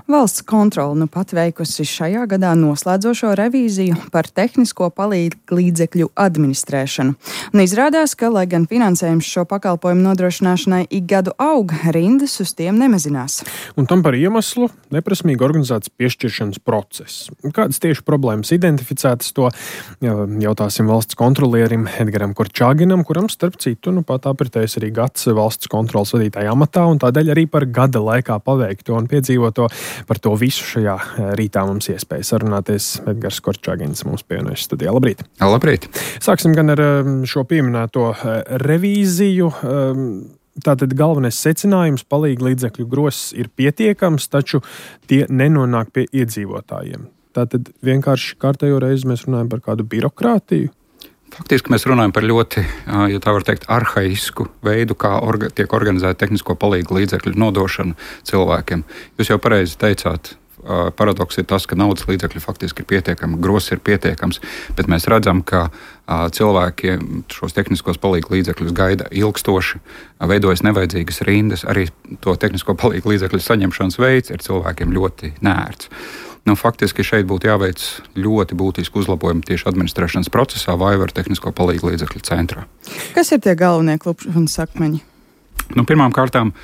Valsts kontrole nu pat veikusi šajā gadā noslēdzošo revīziju par tehnisko palīdzekļu administrēšanu. Un izrādās, ka, lai gan finansējums šo pakalpojumu nodrošināšanai ik gadu aug, rindas uz tiem nemazinās. Un tam par iemeslu neprasmīgi organizēts piešķiršanas process. Kādas tieši problēmas identificētas, to jautāsim valsts kontrolierim Edgaram Korčāginam, kuram starp citu pat apritējis arī gads valsts kontroles vadītāja amatā, un tādēļ arī par gada laikā paveikto un piedzīvoto. Par to visu šajā rītā mums iespēja sarunāties. Edgars Korčāgins mums pievienojas studijā. Labrīt! Labrīt! Sāksim gan ar šo pieminēto revīziju. Tātad galvenais secinājums - palīglīdzekļu gross ir pietiekams, taču tie nenonāk pie iedzīvotājiem. Tātad vienkārši kārtējo reizi mēs runājam par kādu birokrātiju. Faktiski mēs runājam par ļoti, ja tā var teikt, arhaisku veidu, kā tiek organizēta tehnisko palīgu līdzekļu nodošana cilvēkiem. Jūs jau pareizi teicāt, paradoks ir tas, ka naudas līdzekļi faktiski ir pietiekami, gross ir pietiekams, bet mēs redzam, ka cilvēki šos tehniskos palīgu līdzekļus gaida ilgstoši, veidojas nevajadzīgas rindas, arī to tehnisko palīgu līdzekļu saņemšanas veids ir cilvēkiem ļoti nērts. Faktiski šeit būtu jāveic ļoti būtisku uzlabojumu tieši administrēšanas procesā vai ar tehnisko palīgu līdzekļu centrā. Kas ir tie galvenie klupšanas akmeņi? Pirmām kārtām,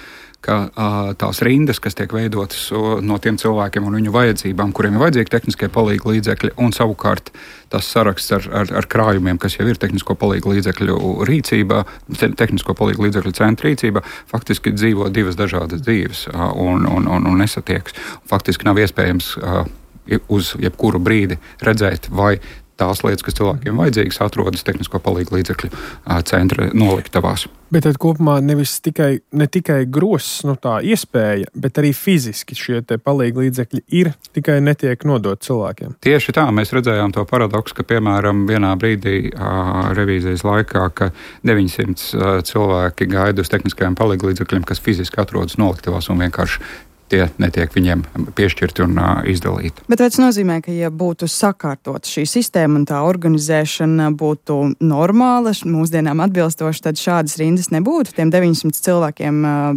ka tās rindas, kas tiek veidotas no tiem cilvēkiem un viņu vajadzībām, kuriem ir vajadzīgi tehniskie palīgu līdzekļi, un savukārt tas saraksts ar krājumiem, kas jau ir tehnisko palīgu līdzekļu rīcībā, tehnisko palīgu līdzekļu centra rīcībā, faktiski dzīvo divas dažādas dzīves un nesatiekas. Faktiski nav iespējams uz jebkuru brīdi redzēt, vai tās lietas, kas cilvēkiem vajadzīgas, atrodas tehnisko palīgu līdzekļu centra noliktavās. Bet tad kopumā ne tikai gross, tā iespēja, bet arī fiziski šie palīgu līdzekļi ir, tikai netiek nodot cilvēkiem. Tieši tā, mēs redzējām to paradoksu, ka, piemēram, vienā brīdī revīzijas laikā, ka 900 cilvēki gaida uz tehniskajiem palīgu līdzekļiem, kas fiziski atrodas noliktavās un vienkārši tie netiek viņiem piešķirti un izdalīti. Bet vai tas nozīmē, ka, ja būtu sakārtot šī sistēma un tā organizēšana būtu normāla, mūsdienām atbilstoši, tad šādas rindas nebūtu? Tiem 900 cilvēkiem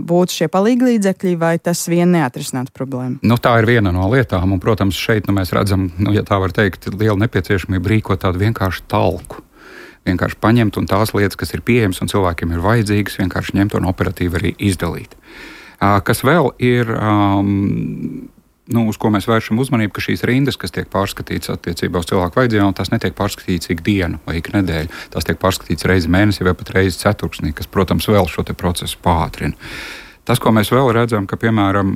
būtu šie palīglīdzekļi, vai tas vien neatrisinātu problēmu? Tā ir viena no lietām, un, protams, šeit mēs redzam, ja tā var teikt, liela nepieciešamība rīkot tādu vienkāršu talku. Vienkārši paņemt un tās lietas, kas ir pieejamas un cilvēkiem ir vajadzīgas, vienkārši ņemt un operatīvi arī izdalīt. Kas vēl ir, uz ko mēs vēršam uzmanību, ka šīs rindas, kas tiek pārskatītas attiecībā uz cilvēku vajadzībām, tās netiek pārskatītas ik dienu vai ik nedēļu. Tās tiek pārskatītas reizi mēnesī vai pat reizi ceturksnī, kas, protams, vēl šo procesu pātrina. Tas, ko mēs vēl redzam, ka, piemēram,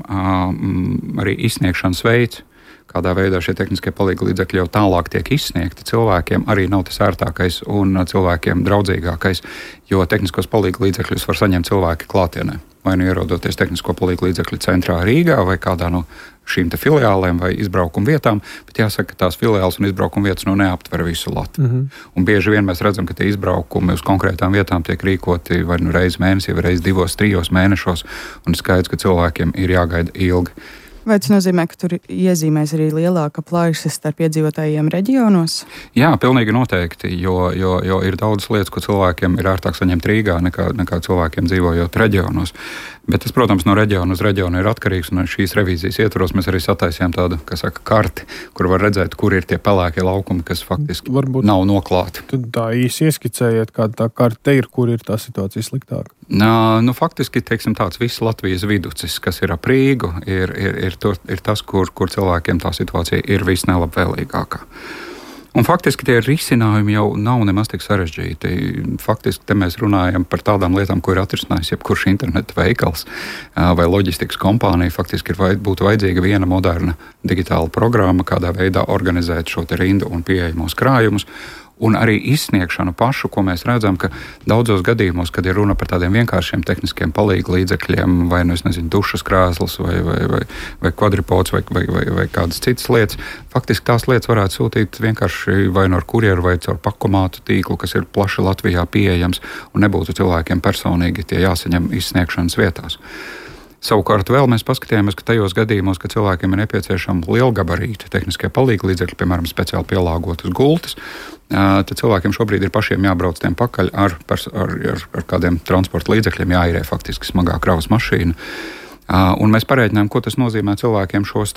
arī izsniegšanas veids, kādā veidā šie tehniskie palīgu līdzekļi jau tālāk tiek izsniegti, cilvēkiem arī nav tas ērtākais un cilvēkiem draudzīgākais, jo tehniskos palīgu līdzekļus var saņemt cilvēki klātienē. Vai nu ierodoties tehnisko palīgu līdzekļu centrā Rīgā vai kādā no šīm filiālēm vai izbraukuma vietām, bet jāsaka, ka tās filiāles un izbraukuma vietas neaptver visu Latviju. Un bieži vien mēs redzam, ka tie izbraukumi uz konkrētām vietām tiek rīkoti vai nu reizi mēnesī, vai reizi 2-3 mēnešos, un skaidrs, ka cilvēkiem ir jāgaida ilgi. Vai tas nozīmē, ka tur iezīmēs arī lielāka plaisas starp iedzīvotājiem reģionos? Jā, pilnīgi noteikti, jo ir daudz lietas, ko cilvēkiem ir ērtāk saņemt Rīgā nekā cilvēkiem dzīvojot reģionos. Bet tas, protams, no reģiona uz reģionu ir atkarīgs, un šīs revīzijas ietvaros mēs arī sataisījām tādu, karti, kur var redzēt, kur ir tie pelēkie laukumi, kas faktiski varbūt nav noklāti. Tad tā īsi ieskicējiet, kāda tā karte ir, kur ir tā situācija sliktāka? Faktiski, teiksim, tāds viss Latvijas viducis, kas ir ap Rīgu, ir tas, kur cilvēkiem tā situācija ir visnelabvēlīgākā. Un faktiski tie risinājumi jau nav nemaz tik sarežģīti. Faktiski te mēs runājam par tādām lietām, ko ir atrisinājis jebkurš interneta veikals vai loģistikas kompānija. Faktiski būtu vajadzīga viena moderna digitāla programma, kādā veidā organizēt šo rindu un pieejamos krājumus. Un arī izsniegšanu pašu, ko mēs redzam, ka daudzos gadījumos, kad ir runa par tādiem vienkāršiem tehniskiem palīgu līdzekļiem, vai dušas krēsls, vai kvadripods, vai kādas citas lietas, faktiski tās lietas varētu sūtīt vienkārši vai no kurjeru vai caur pakomātu tīklu, kas ir plaši Latvijā pieejams, un nebūtu cilvēkiem personīgi tie jāsaņem izsniegšanas vietās. Savukārt vēl mēs paskatījāmies, ka tajos gadījumos, kad cilvēkiem ir nepieciešama lielgabarīta tehniskie palīgu līdzekļi, piemēram, speciāli pielāgotas gultas, tad cilvēkiem šobrīd ir pašiem jābrauc tiem pakaļ ar kādiem transporta līdzekļiem, jāīrē faktiski smagā kravas mašīna. Un mēs parēķinājām, ko tas nozīmē cilvēkiem šos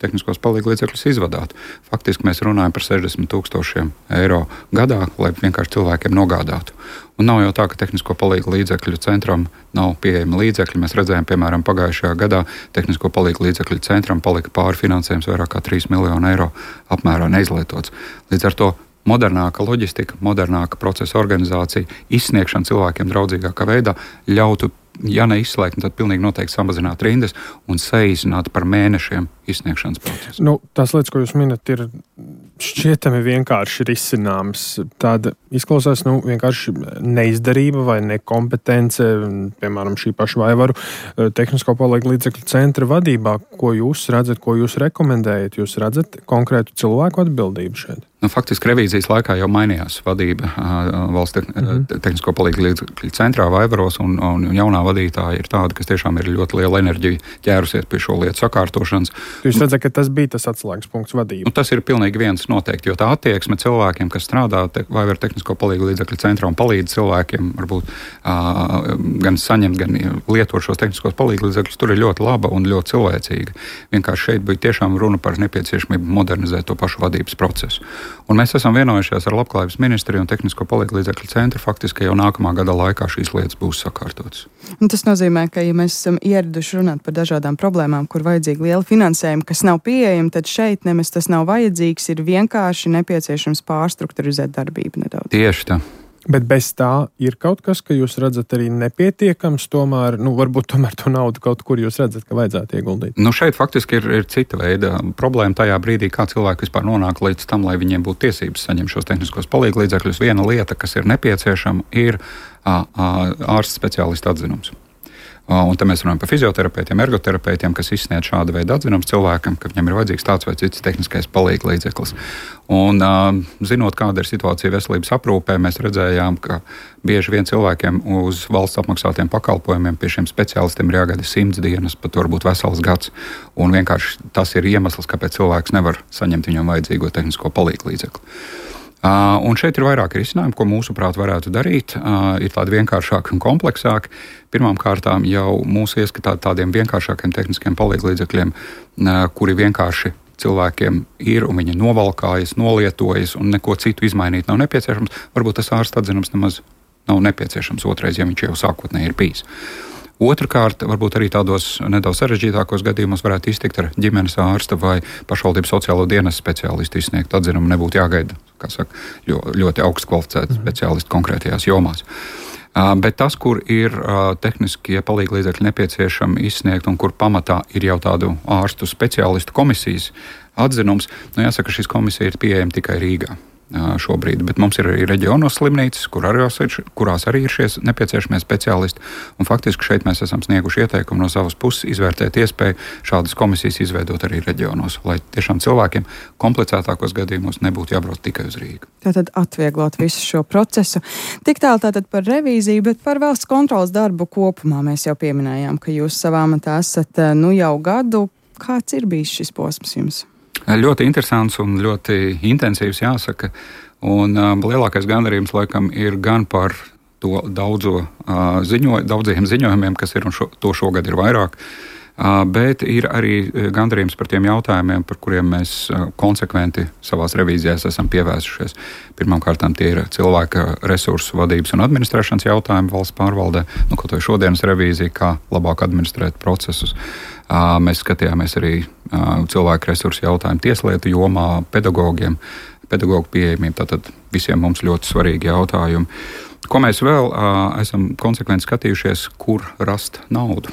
tehniskos palīglīdzekļus izvadāt. Faktiski mēs runājam par 60,000 eiro gadā, lai vienkārši cilvēkiem nogādātu. Un nav jau tā, ka tehnisko palīglīdzekļu centram nav pieejami līdzekļi. Mēs redzējām, piemēram, pagājušajā gadā tehnisko palīglīdzekļu centram palika pārfinansējums vairāk kā 3 miljonu eiro apmērā neizlietots. Līdz ar to modernāka loģistika, modernāka procesa organizācija, izsniegšana cilvēkiem draudzīgākā veidā ļautu, ja neizslēgt, tad pilnīgi noteikti samazināt rindas un saīsināt par mēnešiem izsniegšanas procesu. Tās lietas, ko jūs minat, ir šķietami vienkārši risināmas. Tāda izklausās vienkārši neizdarība vai nekompetence, piemēram, šī paša Vaivaru tehnisko palīglīdzekļu centra vadībā. Ko jūs redzat, ko jūs rekomendējat? Jūs redzat konkrētu cilvēku atbildību šeit? Faktiski revīzijas laikā jau mainījās vadība valsts tehnisko palīglīdzekļu centrā Vaivaros, un jaunā vadītāja ir tāda, kas tiešām ir ļoti liela enerģija ķērusies pie šo lietu sakārtošanas. Jūs redzat, ka tas bija tas atslēgas punkts vadība? Tas ir pilnīgi viens noteikti, jo tā attieksme cilvēkiem, kas strādā Vaivaru tehnisko palīglīdzekļu centrā un palīdz cilvēkiem varbūt gan saņemt, gan lietot šos tehniskos palīglīdzekļus, tur ir ļoti laba un ļoti cilvēcīga. Vienkārši šeit bija tiešām runa par nepieciešamību modernizēt to pašu vadības procesu. Un mēs esam vienojušies ar Labklājības ministriju un Tehnisko palīglīdzekļu centru faktiski jau nākamā gada laikā šīs lietas būs sakārtotas. Un tas nozīmē, ka, ja mēs esam ieraduši runāt par dažādām problēmām, kur vajadzīga liela finansējuma, kas nav pieejama, tad šeit nemaz tas nav vajadzīgs, ir vienkārši nepieciešams pārstrukturizēt darbību nedaudz. Tieši tā. Bet bez tā ir kaut kas, ka jūs redzat arī nepietiekams, tomēr, varbūt tomēr to naudu kaut kur jūs redzat, ka vajadzētu ieguldīt? Šeit faktiski ir cita veida problēma tajā brīdī, kā cilvēki vispār nonāk līdz tam, lai viņiem būtu tiesības saņemt šos tehniskos palīglīdzekļus. Viena lieta, kas ir nepieciešama, ir ārsta speciālista atzinums. Un te mēs runājam par fizioterapeitiem, ergoterapeitiem, kas izsniedz šāda veida atzinums cilvēkam, ka viņam ir vajadzīgs tāds vai cits tehniskais palīglīdzeklis. Un zinot, kāda ir situācija veselības aprūpē, mēs redzējām, ka bieži vien cilvēkiem uz valsts apmaksātiem pakalpojumiem pie šiem speciālistiem ir jāgaida 100 dienas, pat varbūt vesels gads. Un vienkārši tas ir iemesls, kāpēc cilvēks nevar saņemt viņam vajadzīgo tehnisko palīglīdzekli. Un šeit ir vairāki risinājumi, ko mūsuprāt varētu darīt. Ir tādi vienkāršāki un kompleksāki. Pirmkārt, jau mūsu ieskatā tādiem vienkāršākiem tehniskiem palīglīdzekļiem, kuri vienkārši cilvēkiem ir un viņi novalkājas, nolietojas un neko citu izmainīt nav nepieciešams. Varbūt tas ārsta atzinums nemaz nav nepieciešams otrais, ja viņš jau sākotnēji ir bijis. Otrakārt, varbūt arī tādos nedaudz sarežģītākos gadījumos varētu iztikt ar ģimenes ārsta vai pašvaldības sociālo dienestu speciālistu izsniegt atzinumu. Nebūtu jāgaida, kā saka, ļoti augstu kvalificēti speciālisti konkrētajās jomās. Bet tas, kur ir tehniskie palīglīdzekļi nepieciešami izsniegt un kur pamatā ir jau tādu ārstu speciālistu komisijas atzinums, jāsaka, šīs komisija ir pieejama tikai Rīgā šobrīd, bet mums ir arī reģionos slimnīcas, kurās arī ir šie nepieciešamie speciālisti. Un faktiski šeit mēs esam snieguši ieteikumu no savas puses izvērtēt iespēju šādas komisijas izveidot arī reģionos, lai tiešām cilvēkiem komplicētākos gadījumos nebūtu jābrauc tikai uz Rīgu. Tātad atvieglot visu šo procesu. Tik tālu tātad par revīziju, bet par valsts kontrolas darbu kopumā mēs jau pieminējām, ka jūs savā amatā esat jau gadu. Kāds ir bijis šis posms jums? Ļoti interesants un ļoti intensīvs, jāsaka. Un lielākais gandarījums laikam ir gan par to daudziem ziņojumiem, kas ir, un to šogad ir vairāk, bet ir arī gandarījums par tiem jautājumiem, par kuriem mēs konsekventi savās revīzijās esam pievērsušies. Pirmkārt, tie ir cilvēka resursu vadības un administrēšanas jautājumi valsts pārvaldē. Kaut vai šodienas revīzija, kā labāk administrēt procesus. Mēs skatījāmies arī cilvēku resursu jautājumu tieslietu jomā, pedagogu pieejamību, tātad visiem mums ļoti svarīgi jautājumi. Ko mēs vēl esam konsekventi skatījušies, kur rast naudu?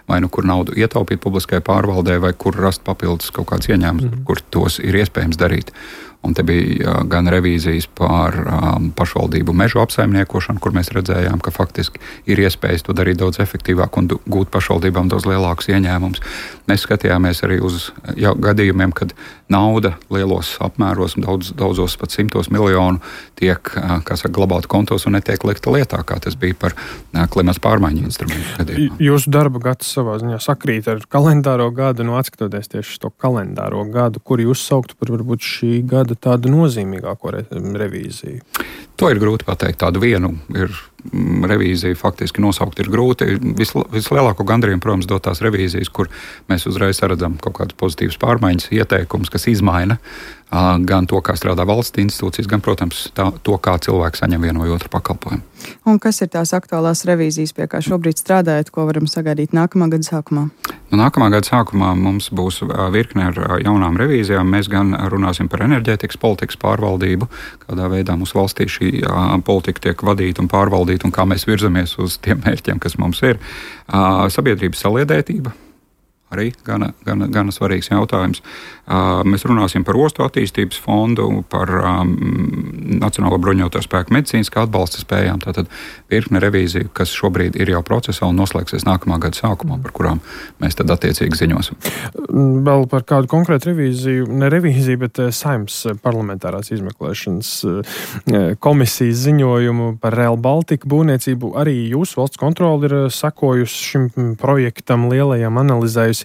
Vai kur naudu ietaupīt publiskajai pārvaldē, vai kur rast papildus kaut kāds ieņēmums, kur tos ir iespējams darīt. Un te bija gan revīzijas par pašvaldību mežu apsaimniekošanu, kur mēs redzējām, ka faktiski ir iespējas to darīt daudz efektīvāk un gūt pašvaldībām daudz lielākus ieņēmumus. Mēs skatījāmies arī uz gadījumiem, kad nauda lielos apmēros, daudzos pat 100 miljonu tiek, glabāta kontos un netiek likta lietā, kā tas bija par klimata pārmaiņu instrumentu gadījumā. Jūsu darba gads savā ziņā sakrīt ar kalendāro gadu, atskatoties tieši to kalendāro gadu, kur jūs sauktu par varbūt šī gada tādu nozīmīgāko revīziju? To ir grūti pateikt. Tādu vienu ir revīziju faktiski nosaukt ir grūti. Vislielāko gandarījumu, protams, dot tās revīzijas, kur mēs uzreiz redzam kaut kādas pozitīvas pārmaiņas, ieteikumus, kas izmaina gan to, kā strādā valsts institūcijas, gan, protams, to, kā cilvēki saņem vienu vai otru pakalpojumu. Un kas ir tās aktuālās revīzijas, pie kā šobrīd strādājat, ko varam sagaidīt nākamā gada sākumā? Nākamā gada sākumā mums būs virkne ar jaunām revīzijām. Mēs gan runāsim par enerģētikas politikas pārvaldību, kādā veidā mūsu valstī šī politika tiek vadīta un pārvaldīta un kā mēs virzamies uz tiem mērķiem, kas mums ir. Sabiedrības saliedētība. Arī gana svarīgs jautājums. Mēs runāsim par ostu attīstības fondu, par Nacionālo bruņoto spēku medicīniskā atbalsta spējām. Tātad virkne revīziju, kas šobrīd ir jau procesā un noslēgsies nākamā gada sākumā, par kurām mēs tad attiecīgi ziņosim. Vēl par kādu konkrētu revīziju, ne revīziju, bet Saeimas parlamentārās izmeklēšanas komisijas ziņojumu par Rail Baltica būvniecību. Arī jūsu valsts kontrole ir sekojusi šim projektam lielajam, analizējusi.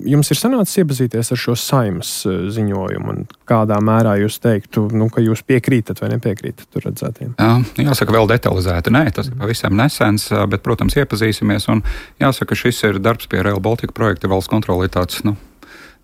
Jums ir sanācis iepazīties ar šo Saeimas ziņojumu un kādā mērā jūs teiktu, ka jūs piekrītat vai nepiekrītat tur redzētiem? Jāsaka, vēl detalizēti. Nē, tas ir pavisam nesens, bet, protams, iepazīsimies. Un jāsaka, šis ir darbs pie Rail Baltica projekta. Valsts kontrole ir tāds,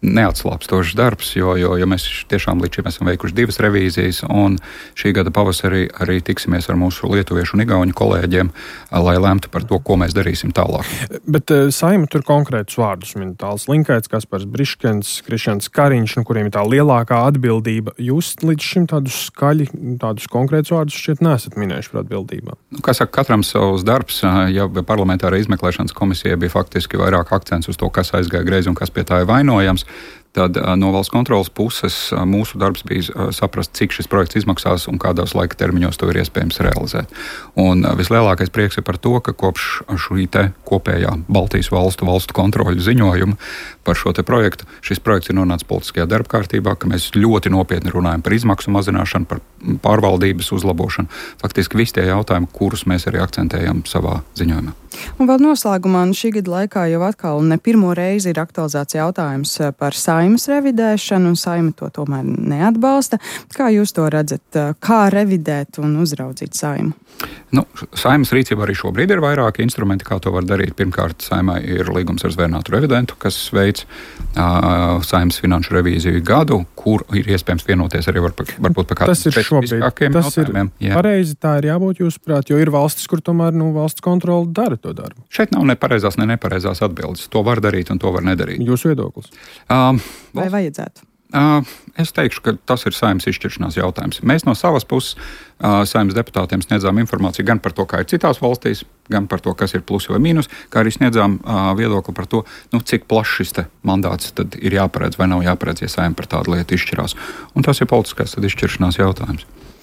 neatslāpstošs darbs, jo mēs tiešām līdz šim esam veikuši 2 revīzijas, un šī gada pavasarī arī tiksimies ar mūsu lietuviešu un igauņu kolēģiem, lai lemtu par to, ko mēs darīsim tālāk. Bet Saeima tur konkrētus vārdus min Tāls Linkaits, Kaspars Briškens, Krišjāns Kariņš, kuriem ir tā lielākā atbildība. Jūs līdz šim tādus konkrētus vārdus šķiet nesat minējuši par atbildībām. Kā saka, katram savs darbs, ja parlamentārā izmeklēšanas komisija bija faktiski vairāk akcents uz to, kas aizgāja greizi un kas pie tā ir vainojams. Tad no valsts kontrolas puses mūsu darbs bija saprast, cik šis projekts izmaksās un kādos laika termiņos to ir iespējams realizēt. Un vislielākais prieks ir par to, ka kopš šī te kopējā Baltijas valstu kontroļu ziņojuma par šo te projektu, šis projekts ir nonācis politiskajā darba kārtībā, ka mēs ļoti nopietni runājam par izmaksu mazināšanu, par pārvaldības uzlabošanu. Faktiski visi tie jautājumi, kurus mēs arī akcentējam savā ziņojumā. Un vēl noslēgumā šī gada laikā jau atkal ne pirmo reizi ir aktualizēts jautājums par Saeimas revidēšanu, un Saeima to tomēr neatbalsta. Kā jūs to redzat? Kā revidēt un uzraudzīt Saeimu? Saeimas rīcībā arī šobrīd ir vairāki instrumenti, kā to var darīt. Pirmkārt, Saeimai ir līgums ar zvērnātu revidentu, kas veic Saeimas finanšu revīziju gadu, kur ir iespējams vienoties arī varbūt par kādiem specifiskākiem jautājumiem. Tas ir pareizi, tā ir jābūt jūsuprāt, jo ir valstis, kur tomēr valsts kontrole dara to darbu. Šeit nav ne pareizās, ne nepareizās atbildes. To var darīt un to var nedarīt. Jūsu viedoklis? Vai vajadzētu? Es teikšu, ka tas ir Saeimas izšķiršanās jautājums. Mēs no savas puses Saeimas deputātiem sniedzām informāciju gan par to, kā ir citās valstīs, gan par to, kas ir plus vai mīnus, kā arī sniedzām viedokli par to, cik plašs šis mandāts tad ir jāparedz vai nav jāparedz, ja Saeima par tādu lietu izšķirās. Un tas ir politiskās izšķiršanās jautājums.